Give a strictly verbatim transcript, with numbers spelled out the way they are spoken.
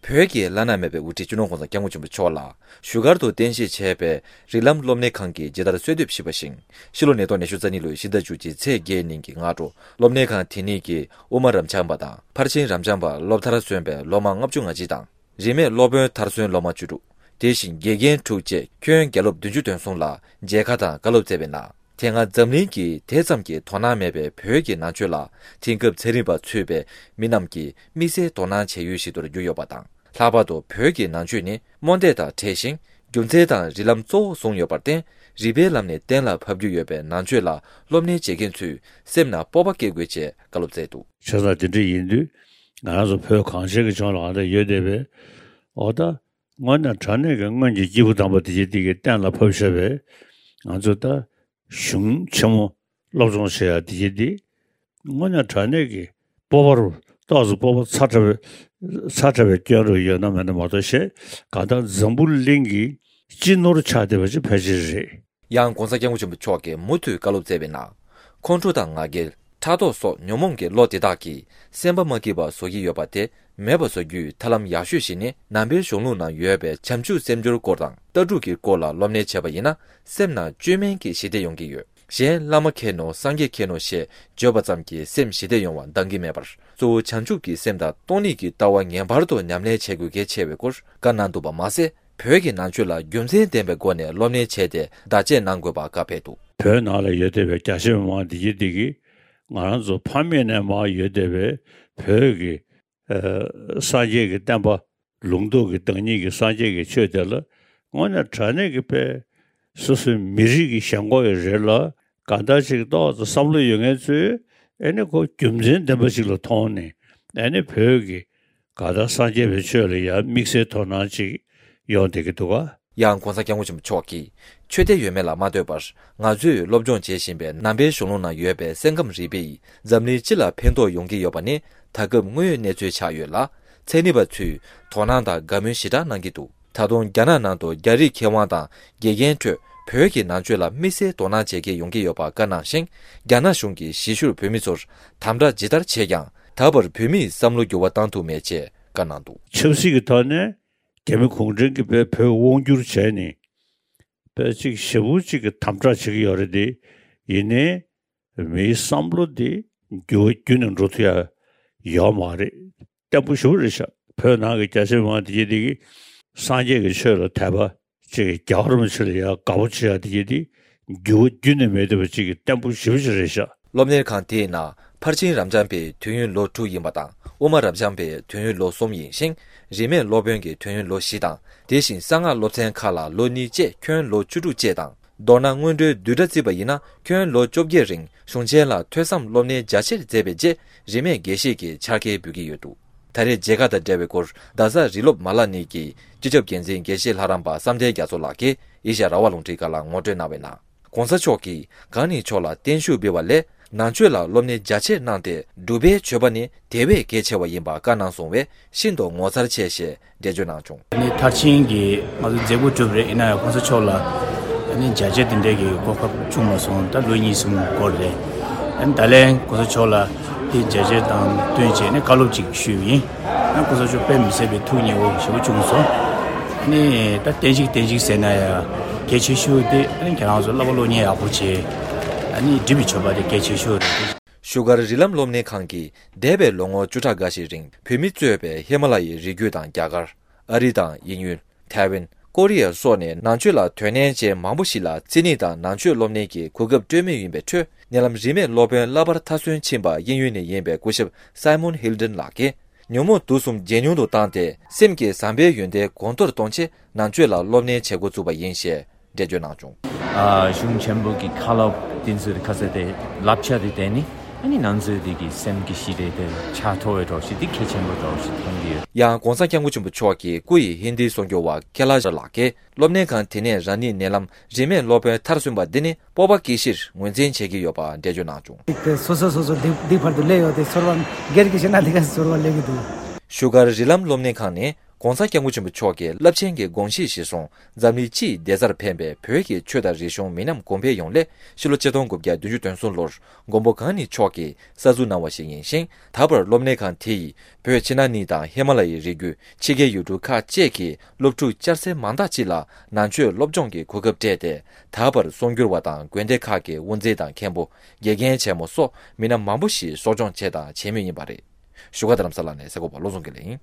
བོད་ཀྱི་བླ་ན་མེད་པའི་དབུ་ཁྲིད་སྤྱི་ནོར་༸གོང་ས་༸སྐྱབས་མགོན་ཆེན་པོ་མཆོག་ལ་བཞུགས་སྒར་དུ་རྟེན་གཞི་བྱས་པའི་རིགས་ལམ་སློབ་གཉེར་ཁང་གིས་ཇི་ལྟར་གསོལ་འདེབས་ཞུས་པ་བཞིན། ཕྱི་ལོ་ཉིས་སྟོང་ཉི་ཤུ་རྩ་གཉིས་ལོའི་ཕྱི་ཟླ་བཅུ་གཅིག་ཚེས་བརྒྱད་ཉིན་གྱི་སྔ་དྲོ་སློབ་གཉེར་ཁང་དེ་ཉིད་ཀྱི་དབུ་མ་རབ་འབྱམས་པ་དང་ཕར་ཕྱིན་རབ་འབྱམས་པ་སློབ་མཐར་སོན་པའི་སློབ་མ་ལྔ་བཅུ་ང་གཅིག་དང་། རིས་མེད་སློབ་དཔོན་མཐར་སོན་སློབ་མ་བཅུ་དྲུག་དེ་བཞིན་དགེ་རྒན་དྲུག་བཅས་ཁྱོན་བརྒྱ་སློབ་བདུན་ཅུ་དོན་གསུམ་ལ་མཇལ་ཁ་དང་བཀའ་སློབ་སྩལ་བའི་ནང་། དེ་སྔ་འཛམ་གླིང་གི་དེ་ཙམ་གྱི་དོ་སྣང་མེད་པའི་བོད་ཀྱི་ནང་ཆོས་ལ་དེང་སྐབས་ཚན་རིག་པ་ཚུད་པའི་མི་རྣམས་ཀྱིས་དམིགས་བསལ་དོ་སྣང་བྱེད་ཡུལ་ཞིག་ཏུ་གྱུར་ཡོད་པ་དང་། ལྷག་པར་དུ་བོད་ཀྱི་ནང་ཆོས་ནི་རྨོངས་དད་དང་བྲལ་ཞིང་། རྒྱུ་མཚན་དང་རིགས་ལམ་གཙོ་བོར་བཟུང་ཡོད་པར་བརྟེན། རིགས་པའི་ལམ་ནས་གཏན་ལ་ཕབ་རྒྱུ་ཡོད་པའི་ནང་ཆོས་ལ་སློབ་གཉེར་བྱེད་མཁན་ཚོས་སེམས་ནང་སྤོབས་པ་སྐྱེ་དགོས་ཅེས་བཀའ་སློབ་སྩལ་འདུག་བྱས་ཙང་དེ་འདྲ་ཡིན་དུས། ང་རང་ཚོ་བོད་གངས་ཅན་གྱི་ལྗོངས་ལ་ང་ཚོ་ཡོད་བསྡད་པའི། འོ་ད། དངོས་གནས་དྲང་གནས་ཀྱི་སྔོན་གྱི་སྐྱེས་བུ་དམ་པ་དེ་ཅིག་དེ་གི་གཏན་ལ་ཕབ་བཞག་པའི་ང་ཚོ་ད་གཞུང་ཆེན་མོ་སློབ་སྦྱོང་བྱེད་ཡ་དེ་ཅིག་དེ་དངོས་གནས་དྲང་གནས་ཀྱི་སྤོབས་པ་རུ་ཏོག་ཙམ་སྤོབས་པ་ཚ་དྲགས་པའི་ཚ་དྲགས་པའི་སྐྱོན་རུ་ཡོད་ན་མེད་ན་མ་གཏོགས་བཤད་གང་ལྟར་འཛམ་བུ་གླིང་གི་སྤྱི་ནོར་ཆགས་བསྡད་པ་ཅིག་ཕལ་ཆེར་རེད། ཡང་༸གོང་ས་༸སྐྱབས་མགོན་ཆེན་པོ་མཆོག་གིས་མུ་མཐུད་བཀའ་སློབ་སྩལ་བའི་ནང་། ཁོང་ཁྲོ་དང་ང་རྒྱལ། ཕྲག་དོག་སོགས་ཉོན་མོངས་ཀྱི་བློ་དེ་དག་གིས་སེམས་པ་མ་སྐྱིད་པ་བཟོ་གི་ཡོད་པ་དེ་མེད་པ་བཟོ་རྒྱུའི་ཐབས་ལམ་ཡག་ཤོས་ཤིག་ནི། ནང་པའི་གཞུང་ལུགས་ནང་ཡོད་པའི་བྱང་ཆུབ་སེམས་སྦྱོར་སྐོར་དང་ལྟ་གྲུབ་ཀྱི་སྐོར་ལ་སློབ་གཉེར་བྱས་པ་ཡིན་ན། སེམས་ནང་བཅོས་མིན་གྱི་ཞི་བདེ་ཡོང་གི་ཡོད། གཞན་བླ་མ་མཁྱེན་ནོ་སངས་རྒྱས་མཁྱེན་ནོ་ཞེས་བརྗོད་པ་ཙམ་གྱིས་སེམས་ཞི་བདེ་ཡོང་བ་འདང་གི་མེད་པར། གཙོ་བོ་བྱང་ཆུབ་ཀྱི་སེམས་དང་སྟོང་ཉིད་ཀྱི་ལྟ་བ་ངེས་པར་དུ་ཉམས་ལེན་བྱེད་དགོས་གལ་ཆེ་བའི་སྐོར་བཀའ་གནང་འདུག་པ་མ་ཟད། བོད་ཀྱི་ནང་ཆོས་ལ་རྒྱུ་མཚན་ལྡན་པའི་སྒོ་ནས་སློབ་གཉེར་བྱས་ཏེ་བརྡ་ཆད་གནང་དགོས་པ་བཀའ་ཕེབས་འདུག་བོད་ནང་ལ་ཡོད་བསྡད་པའི་རྒྱ་ཆེ་མི་མང་འདི་གྱིས་འདི་གིས་ང་རང་ཚོ་ཕ་མེས་ནས་མར་ཡོད་བསྡད་པའི་བོད་ཀྱི་ཨ་སངས་རྒྱས་ཀྱི་བསྟན་པ། ལུང་རྟོགས་ཀྱི་བདག་ཉིད་ཀྱི་སངས་རྒྱས་ཀྱི་ཆོས་དེ་ལ་དངོས་གནས་དྲང་གནས་ཀྱི་དཔེ་སོ་སོའི་མི་རིགས་ཀྱི་ཞེན་ཁོག་ཡི་རེད་ལ། གང་ལྟར་ཅིག་ཏོག་ཙམ་བསམ་བློ་ཡོད་མཁན་ཚོས་ཨ་ནི་ཁོ་རྒྱུ་མཚན་ལྡན་པ་ཞིག་ལ་མཐོང་ནས་ཨ་ནི་བོད་ཀྱི་གང་ལྟར་སངས་རྒྱས་པའི་ཆོས་ལ་ཡང་དམིགས་བསལ་དོ་སྣང་ཅིག་ཡོང་བསྡད་ཀྱི་འདུག་ག་ཡང་༸གོང་ས་༸སྐྱབས་མགོན་ཆེན་པོ་མཆོག་གིས། ཆོས་དད་ཡོད་མེད་ལ་མ་ལྟོས་པར། ང་ཚོས་སློབ་སྦྱོང་བྱེད་བཞིན་པའི་ནང་པའི་གཞུང་ལུགས་ནང་ཡོད་པའི་སེམས་ཁམས་རིག་པས་འཛམ་གླིང་སྤྱི་ལ་ཕན་ཐོགས་ཡོང་གི་ཡོད་པ་ནི་ད་སྐབས་དངོས་ཡོད་གནས་ཚུལ་ཆགས་ཡོད་ལ། ཚན་རིག་པ་ཚོས་དོ་སྣང་དང་དགའ་མོས་ཞེ་དྲག་གནང་གི་འདུག་ད་དུང་རྒྱ་ནག་ནང་དུ་རྒྱ་རིགས་མཁས་དབང་དང་དགེ་རྒན་ཁྲོད་བོད་ཀྱི་ནང་ཆོས་ལ་དམིགས་བསལ་དོ་སྣང་བྱེད་མཁན་ཡོང་གི་ཡོད་པ་བཀའ་གནང་ཞིང་། རྒྱ་ནག་གཞུང་གིས་གཞིས་བཞུགས་བོད་མི་ཚོར་དམ་དྲག་ཇི་ལྟར་བྱས་ཀྱང་། ད་བར་བོད་མིས་བསམ་བློ་འགྱུར་བ་བཏང་ཐུབ་མེད་ཅེས་བཀའ་གནང་འདུག་ཆབ་སྲིད་ཀྱི་ཐོག་ནས་རྒྱ་མི་གུང་ཁྲན་གྱིས་བོད་དབང་བསྒྱུར་བྱས་ནས་བོད་ཅིག་ཞེ་པོ་ཅིག་གི་དམ་དྲག་བྱེད་ཀྱི་ཡོད་རེད་དེ། ཡིན་ནའི་མིའི་བསམ་བློ་དེ་འགྱུར་བ་བརྒྱུད་ནས་འགྲོ་ཐུབ་ཡ་ཡོད་མ་རེད། བརྟན་པོ་ཞེ་པོ་རེད་ཤག་བོད་ནང་གི་རྒྱ་ཆེ་མང་དེ་གྱིས་དེ་གི་སངས་རྒྱས་ཀྱི་ཆོས་ལ་དད་པ་ཅིག་རྒྱལ་བ་རིན་པོ་ཆེ་ལ་ཡ་དགའ་པོ་བྱེད་ཡ་དེ་གྱིས་དེ་འགྱུར་བ་བརྒྱུད་ནས་མེད་བསྡད་པ་ཅིག་གི་བརྟན་པོ་ཞེ་པོ་ཅིག་རེད་ཤག་སློབ་གཉེར་ཁང་དེའི་ནང་ཕར་ཕྱིན་རབ་འབྱམས་པའི་དུས་ཡུན་ལོ་དྲུག་ཡིན་པ་དང་། དབུ་མ་རབ་འབྱམས་པའི་དུས་ཡུན་ལོ་གསུམ་ཡིན་ཞིང་། རིས་མེད་སློབ་དཔོན་གྱི་དུས་ཡུན་ལོ་བཞི་དང་། དེ་བཞིན་གསང་སྔགས་སློབ་ཚན་ཁག་ལ་ལོ་གཉིས་བཅས་ཁྱོན་ལོ་བཅུ་དྲུག་བཅས་དང་། མདོར་ན་སྔོན་འགྲོའི་བསྡུས་གྲྭ་བརྩིས་པ་ཡིན་ན། ཁྱོན་ལོ་བཅོ་བརྒྱད་རིང་གཞུང་ཆེན་ལ་ཐོས་བསམ་སློབ་གཉེར་རྒྱ་ཆེར་མཛད་པའི་རྗེས། རིས་མེད་དགེ་བཤེས་ཀྱི་ཕྱག་འཁྱེར་འབུལ་གྱི་ཡོད་འདུག་ད་རེས་མཇལ་ཁ་དང་འབྲེལ་བའི་སྐོར། རྡ་ས་རིགས་སློབ་མ་ལག་གཉིས་ཀྱི་སྤྱི་ཁྱབ་འགན་འཛིན་དགེ་བཤེས་ལྷ་རམས་པ་བསམ་གཏན་རྒྱ་མཚོ་ལགས་ཀྱིས་ཨེ་ཤ་ཡ་རང་དབང་རླུང་འཕྲིན་ཁང་ལ་ངོ་སྤྲོད་གནང་བའི་ནང་། ༸གོང་ས་མཆོག་གིས་གང་ཉིད་མཆོག་ལ་བརྟན་བཞུགས་འབུལ་བ་ལས། ནང་ཆོས་ལ་སློབ་གཉེར་རྒྱ་ཆེར་གནང་སྟེ། སྒྲུབ་པའི་སྤྱོད་པ་ནི་དེ་བས་གལ་ཆེ་བ་ཡིན་པ་བཀའ་གནང་སོང་བས། ཤིན་ཏུ་ངོ་མཚར་ཆེ་ཞེས་འགྲེལ་བརྗོད་གནང་བྱུང་། ནི་མཐར་ཕྱིན་གྱི་ང་ཚོ་མཛད་སྒོ་གྲུབ་རེད། ཡིན་ན་ཡང་༸གོང་ས་མཆོག་ལ་ནི་མཇལ་བཅར་དེ་འདྲའི་གི་གོ་སྐབས་བྱུང་མ་སོང་། ད་ལོ་གཉིས་གསུམ་འགོར་རེད། ཨ་ནི་ད་ལན་༸གོང་ས་མཆོག་ལ་དེ་མཇལ་བཅར་དང་བསྟུན་བྱས་ནས་བཀའ་སློབ་ཅིག་ཞུས་ཡིན། ཨ་༸གོང་ས་མཆོག་དཔེ་མི་སྲིད་པའི་ཐུགས་མཉེས་པོ་ཞེ་པོ་བྱུང་སོང་། ཨ་ནི་ད་བསྟན་བཤིག་བསྟན་བཤིག་ཟེར་ན་ཡང་གལ་ཆེ་ཤོས་དེ་ཨ་ནི་ཁྱེད་རང་ཚོ་བསླབ་པ་སློབ་གཉེར་ཡག་པོ་བྱས། ཨ་ནི་སྒྲུབ་པའི་སྤྱོད་པ་དེ་གལ་ཆེ་ཤོས་རེད། བཞུགས་སྒར་རིགས་ལམ་སློབ་གཉེར་ཁང་གིས་འདས་པའི་ལོ་ངོ་བཅུ་ཕྲག་འགའ་ཞིག་རིང་བོད་མི་གཙོས་པའི་ཧི་མ་ལ་ཡའི་རི་རྒྱུད་དང་རྒྱ་གར། ཨ་རི་དང་དབྱིན་ཡུལ། ཐའེ་ཝན། ཀོ་རི་ཡ་སོགས་ནས་ནང་ཆོས་ལ་དོ་ནན་ཅན་མང་པོ་ཞིག་ལ་རྩིས་ནི་དང་ནང་ཆོས་སློབ་གཉེར་གྱི་གོ་སྐབས་སྤྲོད་མུས་ཡིན་པའི་ཁྲོད། ཉེ་ལམ་རིས་མེད་སློབ་དཔོན་བསླབ་པར་མཐར་སོན་ཕྱིན་པ་དབྱིན་ཡུལ་ནས་ཡིན་པའི་སྐུ་ཞབས་སའི་མོན་ཧིལ་ཏན་ལགས་ཀྱིས། ཉོན་མོངས་དུག་གསུམ་ཇེ་ཉུང་དུ་བཏང་སྟེ། སེམས་ཀྱི་བཟང་པོའི་ཡོན་ཏན་གོང་མཐོར་གཏོང་ཆེད། ནང་ཆོས་ལ་སློབ་གཉེར་བྱེད་འགོ་བཙུགས་པ་ཡིན་ཞེས་འགྲེལ་བརྗོད་གནང་བྱུང་། ཨ། གཞུང་ཆེན་པོ་གི་བཀའ་སློབ་དེ་ཚོའི་ཁ་ཚ་དེ་བསླབ་བྱ་དེ་བསྟན་ནི། ཨ་ནི་ང་ཚོའི་དེ་གི་སེམས་ཀྱི་ཞི་བདེ་དེ་ཆགས་ཐུབ་པའི་གྲོགས་ཤིག་དེ་གལ་ཆེན་པོ་གྲོགས་ཤིག་མཐོང་གི་ཡོད། ཡང་༸གོང་ས་༸སྐྱབས་མགོན་ཆེན་པོ་མཆོག་གི་སྐུ་ཡི་ཧིན་དིའི་གསུང་སྒྱུར་བ་ཁེ་ལ་ཤ་ལགས་ཀྱིས། སློབ་གཉེར་ཁང་དེ་ནས་རང་ཉིད་ཉེ་ལམ་རིས་མེད་སློབ་དཔོན་མཐར་སོན་པ་འདི་ནི་སྤོབས་པ་སྐྱེ་གཞིར་ངོས་འཛིན་བྱེད་ཀྱི་ཡོད་པ་འགྲེལ་བརྗོད་གནང་བྱུང་། སོ་སོ་སོ་སོ་འདི་འདི་བར་དུ་སླེབས་ཡོད་དེ་ཚོར་བ་སྒེར་གྱི་བཤད་ན་འདི་ག་ཚོར་བ་སླེབས་ཀྱི་འདུག་བཞུགས་སྒར་རིགས་ལམ་སློབ་གཉེར་ཁང་ནི་ ༸གོང་ས་༸སྐྱབས་མགོན་ཆེན་པོ་མཆོག་གི་རླབས་ཆེན་གྱི་དགོངས་གཞི་གཞིར་བཟུང་འཛམ་གླིང་སྤྱི་ཡི་བདེ་རྩར་ཕན་པའི་བོད་ཀྱི་ཆོས་དང་རིག་གཞུང་མི་ཉམས་གོང་འཕེལ་ཡོང་སླད་ཕྱི་ལོ་ཆིག་སྟོང་དགུ་བརྒྱ་བདུན་ཅུ་དོན་གསུམ་ལོར་མགོན་པོ་གང་ཉིད་མཆོག་གིས་གསར་འཛུགས་གནང་བ་ཞིག་ཡིན་ཞིང་། ད་བར་སློབ་གནས་ཁང་དེ་ཡིས་བོད་ཕྱི་ནང་གཉིས་དང་ཧི་མ་ལ་ཡའི་རི་རྒྱུད། ཕྱི་རྒྱལ་ཡུལ་གྲུ་ཁག་བཅས་ཀྱི་སློབ་ཕྲུག་བསྐྱར་གསོའི་མང་དག་ཅིག་ལ་ནང་ཆོས་སློབ་སྦྱོང་གི་གོ་སྐབས་སྤྲད་དེ། ད་བར་གསར་འགྱུར་བ་དང་དགོན་སྡེ་ཁག་གི་དབུ་མཛད་དང་མཁན་པོ། དགེ་རྒན་ཆེན་མོ་སོགས་མི་སྣ་མང་པོ་ཞིག་གསོ་སྐྱོང་བྱས་དང་བྱེད་མུས་ཡིན་པ་རེད། བཞུགས་སྒར་རྡ་རམ་ས་ལ་ནས་གསར་འགོད་པ་བློ་བཟང་དགེ་ལེགས་ཡིན།